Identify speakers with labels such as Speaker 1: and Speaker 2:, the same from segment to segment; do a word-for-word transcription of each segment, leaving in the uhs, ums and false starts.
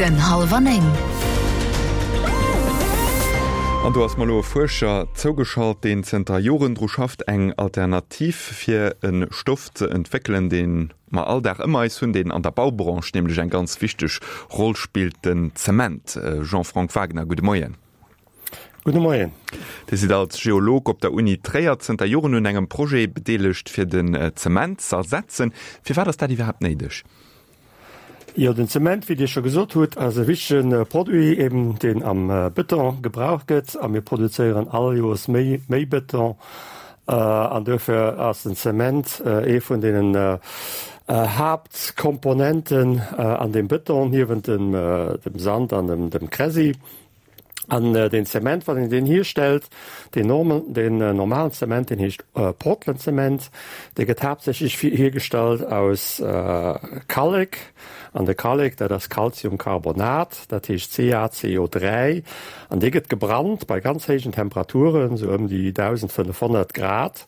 Speaker 1: Den Hallwer Néng.
Speaker 2: An do ass mer elo e Fuerscher zougeschalt, deen zënter Joren dru schafft, eng Alternativ fir e Stoff ze entwéckelen, dee mer all Dag ëm eis hunn, deen an der Baubranche nämlech eng ganz wichteg Roll spillt, den Zement. Jean-Franck Wagner, gudde Moien.
Speaker 3: Gudde Moien.
Speaker 2: Dir sidd als Geolog op der Uni Tréier zënter Joren un engem Projet bedeelegt, fir den Zement z'ersetzen. Firwat ass dat iwwerhaapt néideg?
Speaker 3: Jo, den Zement, wéi Dir scho gesot hutt, ass e wichtege Produit, eben deen am Bëton gebraucht gëtt. A mir produzéieren all Joers méi, méi Bëton. An duerfir ass den Zement ee vun deenen Haaptkomponenten an deem Bëton, niewent dem, dem Sand an dem, dem Kräsi. An deen Zement, wann een deen hierstellt, deen normal, deen normalen Zement, deen heescht Portlandzement, dee gëtt haaptsächlech hiergestallt aus Kallek. An de Kallek, dat ass Calciumcarbonat, dat heescht C A C O dräi an dee gëtt gebrannt bei ganz héijen Temperaturen, sou ëm déi dausendfënnefhonnert Grad.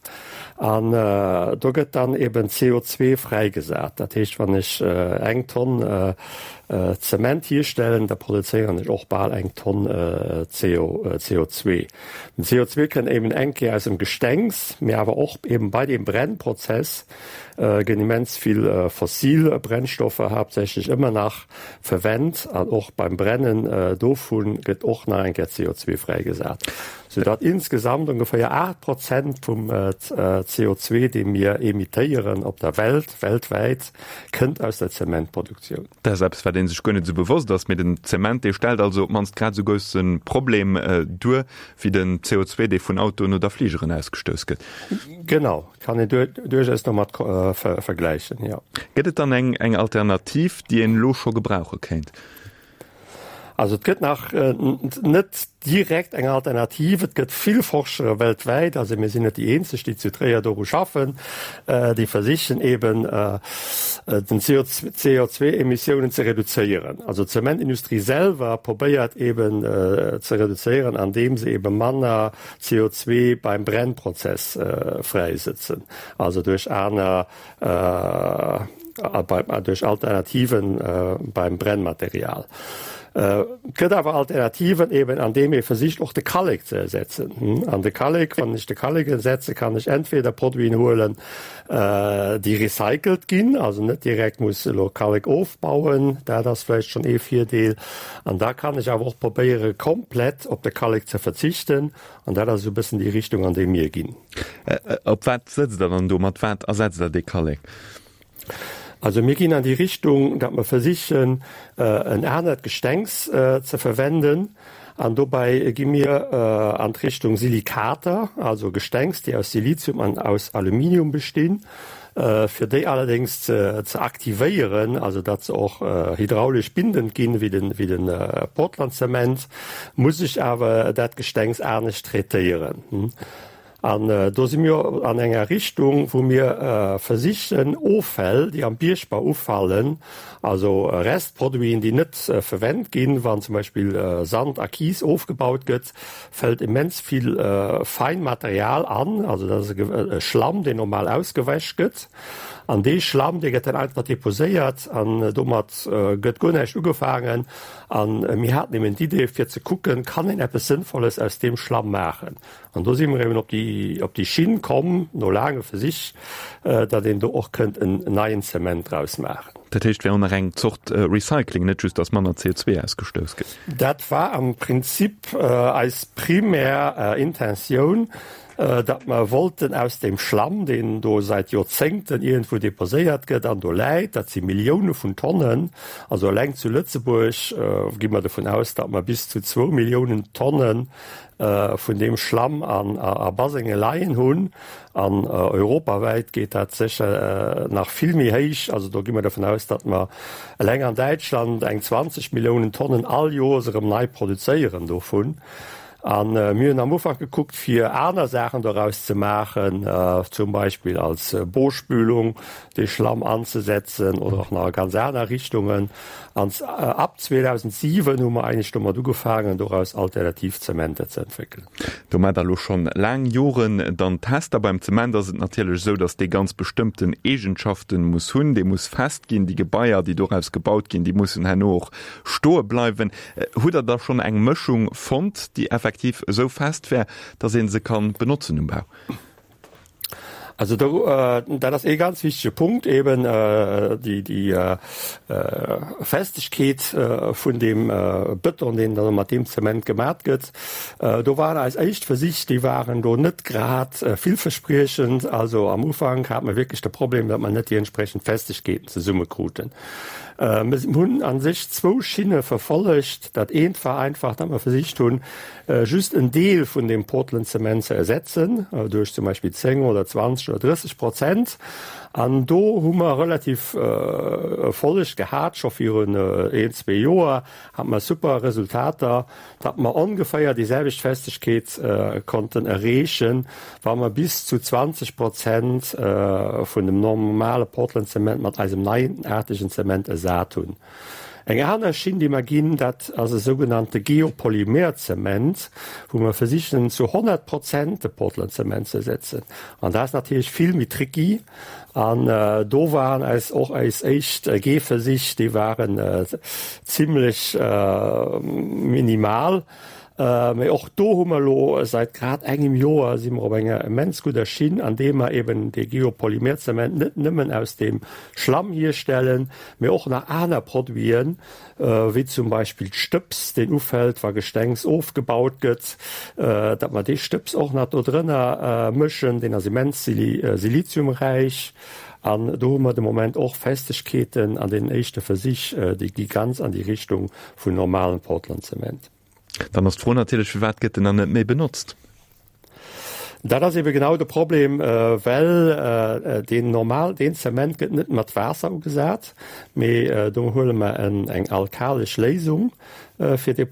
Speaker 3: An do gëtt dann eben C O zwee fräigesat. Dat heescht, wann ech eng Tonn Zement hierstellen, da produzéieren ech och bal eng Tonn C O zwee. Den C O zwee kënnt eben eng Kéier aus dem Gestengs, mee awer och eben bei deem Brennprozess ginn immens vill fossil Brennstoffer haaptsächlech ëmmer nach verwennt an och beim Brennen dovun gëtt och nach eng Kéier C O zwee fräigesat, soudatt insgesamt ongeféier aacht Prozent vum C O zwee, dee mir emittéieren op der Welt, weltwäit, kënnt aus der Zementproduktioun.
Speaker 2: Dat ass eppes, wat ee sech guer net esou bewosst ass, mee den Zement, dee stellt also op d'mannst grad esou grousse Problem duer wéi den C O zwee, dee vun Autoen oder Fligeren ausgestouss gëtt.
Speaker 3: Genau, kann een duerchaus domat vergläichen, jo.
Speaker 2: Gëtt et dann eng eng Alternativ, déi een elo scho gebrauche kéint?
Speaker 3: Also et gëtt nach net direkt eng Alternativ. Et gëtt vill Forschere weltwäit, also mir sinn net déi eenzeg, déi zu Tréier doru schaffen, déi versichen eben den C O zwee Emissiounen ze reduzéieren. Also d'Zementindustrie selwer probéiert eben ze reduzéieren, andeem se eben manner C O zwee beim Brennprozess fräisëtzen, also duerch aner duerch Alternativen beim Brennmaterial. Et gëtt awer Alternativen eben, andeem ee versicht och de Kallek ze ersetzen. An de Kallek, wann ech de Kallek ersetze, kann ech entweder Produiten huelen, déi recycelt ginn, also net direkt muss elo Kallek ofbauen, dat ass vläicht schonn ee Virdeel. An da kann ech awer och probéiere komplett op de Kallek ze verzichten. An dat ass esou e bëssen déi Richtung, an déi mir ginn.
Speaker 2: Op wat sëtzt Der dann do? Mat wat ersetzt Der dee Kallek?
Speaker 3: Also mir ginn an déi Richtung, datt mer versichen, en anert Gestengs ze verwenden. An dobäi gi mir an d'Richtung Silikater, also Gestengs, déi aus Silizium an aus Aluminium bestinn, fir déi allerdéngs ze aktivéieren, also datt se och hydraulesch bindend ginn, wéi de wéi de Portlandzement, muss ech awer dat Gestengs anescht traitéieren. An do si mir an enger Richtung, wou mir versichen, Offäll, déi am Biergbau ufallen, also Restproduiten, déi net verwennt ginn, wann zum Beispill Sand a Kies ofgebaut gëtt, fält immens vill fein Material an, also dat ass e Schlamm, deen normal ausgewäsch gëtt. An dee Schlamm, dee gëtt dann einfach deposéiert an domat gëtt guer näischt ugefaangen. An mir haten eben d'Idee, fir ze kucken, kann een eppes Sënnvolles aus deem Schlamm maachen? An do si mer eben op déi, op déi Schinn komm, no laange Versich, datt een do och kënnt en neien Zement draus maachen.
Speaker 2: Dat heescht, wär och nach eng Zort Recycling, net just, datt manner C O zwee ausgestouss gëtt?
Speaker 3: Dat war am Prinzip eis primär Intentioun, datt mer wollten aus deem Schlamm, deen do säit Joerzéngten iergendwou deposéiert gëtt an do läit, dat si Millioune vun Tonnen, also eleng zu Lëtzebuerg gi mer dovun aus, datt mer bis zu zwou Milliounen Tonne vun deem Schlamm an a Basenge leien hunn. An europawäit geet dat sécher nach vill méi héich. Also do gi mer dovun aus, datt mer eleng an Däitschland eng zwanzeg Milliounen Tonnen all Joers erëm nei produzéieren dovun. An mir hunn am Ufank gekuckt, fir aner Saachen doraus ze maachen, zum Beispill als Bospülung de Schlamm anzesetzen oder och nach a ganz aner Richtungen. An ab zweedausentsiwen hu mer eigentlech domat ugefaangen, doraus alternativ Zementer ze entwéckelen.
Speaker 2: Do maacht Der elo schonn laang Joren dann Tester. Beim Zement ass et natierlech esou, datt dee ganz bestëmmten Eegenschaften muss hunn. Dee muss fest ginn. Déi Gebaier, déi doraus gebaut ginn, déi mussen herno och stoe bleiwen. Hutt Der da schonn eng Mëschung fonnt, déi effektiv esou fest wär, datt ee se kann benotzen um Bau?
Speaker 3: Also do, dat ass ee ganz wichtege Punkt eben, déi, déi Festegkeet vun deem Bëton, deen dann mat deem Zement gemat gëtt. Do waren eis éischt Versich, déi waren do net grad villverspriechend. Also am Ufank hate mer wierklech de Problem, datt mer net déi entsprechend Festegkeeten zesummekruten. Mir hunn a sech zwou Schinne verfollegt. Dat eent war einfach, datt mer versicht hunn, just en Deel vun deem Portland-Zement ze ersetzen, duerch zum Beispill zéng oder zwanzeg oder drësseg Prozent. An do hu mer relativ Erfolleg gehat, scho virun een, zwee Joer hate mer super Resultater, datt mer ongeféier déi selwecht Festegkeet konnten erreechen, wa mer bis zu zwanzeg Prozent vun dem normale Portland-Zement mat eisem neienaartegen Zement ersat hunn. Eng aner Schinn, déi mer ginn, dat ass e sougenannte Geopolymerzement, wou mer versichen, zu honnert Prozent de Portland-Zement ze ersetzen. An dat ass natierlech vill méi tricky. An do waren eis och eis éischt Gehversich, déi waren zimlech minimal. Mee och do hu mer elo säit grad engem Joer si mer op enger immens gudder Schinn, andeem mer eben dee Geopolymerzement net nëmmen aus deem Schlamm hierstellen, mee och nach aner Produiten, wéi zum Beispill d'Stëbs, deen ufält, wa Gestengs ofgebaut gëtt, datt mer dee Stëbs och nach do drënner mëschen, deen ass immens siliziumräich. An do hu mer de Moment och Festegkeeten an deenen éischte Versich, déi gi ganz an déi Richtung vun normalem Portlandzement.
Speaker 2: Dann ass d'Fro natierlech, firwat gëtt en dann net méi benotzt?
Speaker 3: Dat ass ebe genau de Problem, well deen normal, deen Zement gëtt net mat Waasser ugesat, mee do huele mer eng alkalesch Léisung, fir dee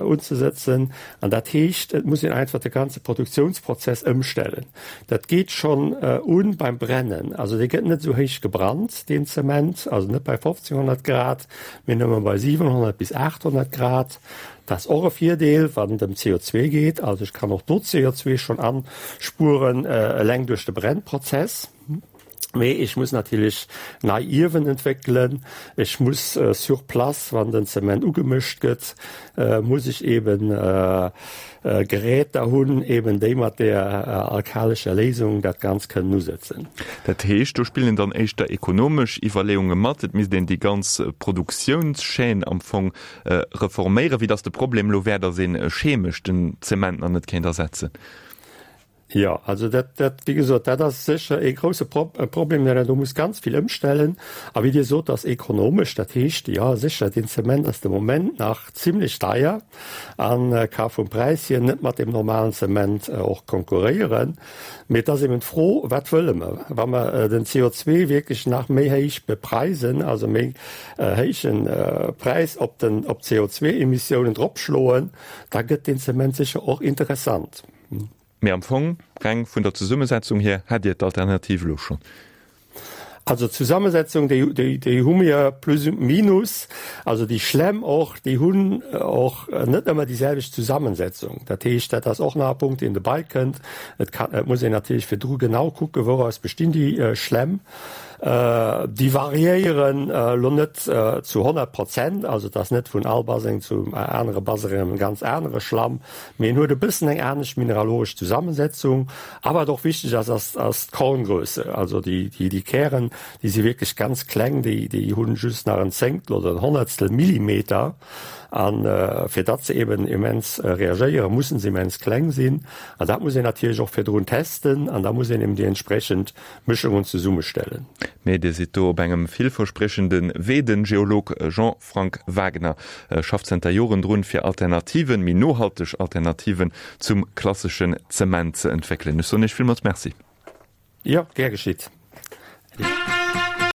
Speaker 3: unzesetzen. An dat heescht, et muss een einfach de ganze Produktionsprozess ëmstellen. Dat geet schonn un beim Brennen. Also dee gëtt net esou héich gebrannt, deen Zement, also net bei fofzénhonnert Grad, mee nëmme bei siwenhonnert bis aathonnert Grad. Dat ass och e Virdeel, wann et ëm C O zwee geet. Also ech kann och do C O zwee schonn anspueren, eleng duerch de Brennprozess. Mee ech muss natierlech nei Iewen entwéckelen. Ech muss sur place, wann den Zement ugemëscht gëtt, muss ech eben Geräter hunn, eben déi mat där alkalescher Léisung dat Ganzt kënnen usëtzen.
Speaker 2: Dat heescht, do spillen dann éischter ekonomesch Iwwerleeunge mat. Et misst een déi ganz Produktiounschaîne am Fong reforméieren, wéi datt de Problem elo wär, datt ee chemesch den Zement nach net kéint ersetzen.
Speaker 3: Jo, also dat, dat, wéi gesot, dat ass sécher ee grouse Problem, well een do muss ganz vill ëmstellen. A wéi Dir sot, ass ekonomesch, dat heescht, jo, sécher, deen Zement ass de Moment nach zimlech deier a ka vum Präis hier net mat deem normalen Zement och konkurréieren. Mee et ass eben d'Fro, Wat wëlle mer? Wa mer den C O zwee wierklech nach méi héich bepreisen, also méi héiche Präis op den, op d'C O zwee-Emissiounen dropschloen, da gëtt deen Zement sécher och interessant.
Speaker 2: Mee am Fong, reng vun der Zesummesetzung hier, hätt Dir d'Alternativ elo schonn.
Speaker 3: Also d'Zusammensetzung, déi, déi, déi hu mir plus minus. Also déi Schlämm och, déi hunn och net ëmmer déi selwecht Zusammensetzung. Dat heescht, dat ass och nach e Punkt, deen dobäi kënnt. Et kann, et muss een natierlech virdru genau kucken, wouraus bestinn déi Schlämm. Déi variéieren elo net zu honnert Prozent, also et ass net vun all Baseng zum anere Baseng e ganz anere Schlamm, mee en huet e bëssen eng anescht mineralogesch Zusammensetzung. A wat och wichteg ass, ass, ass d'Korngrösse, also déi, déi, déi Kären, déi si wierklech ganz kleng, déi, déi hunn just nach en Zéngtel oder en Honnertstel Millimeter. An fir datt se eben immens reagéieren, mussen se immens kleng sinn. An dat muss een natierlech och virdrun testen an da muss een eben déi entsprechend Mëschungen zesummestellen.
Speaker 2: Mee Dir sidd do op engem villverspriechende Wee. Den Geolog Jean-Frank Wagner schafft zënter Joren drun, fir Alternativen, méi nohalteg Alternativen zum klasseschen Zement ze entwéckelen. Ech soen Iech villmools Merci.
Speaker 3: Jo, gär geschitt. Äddi.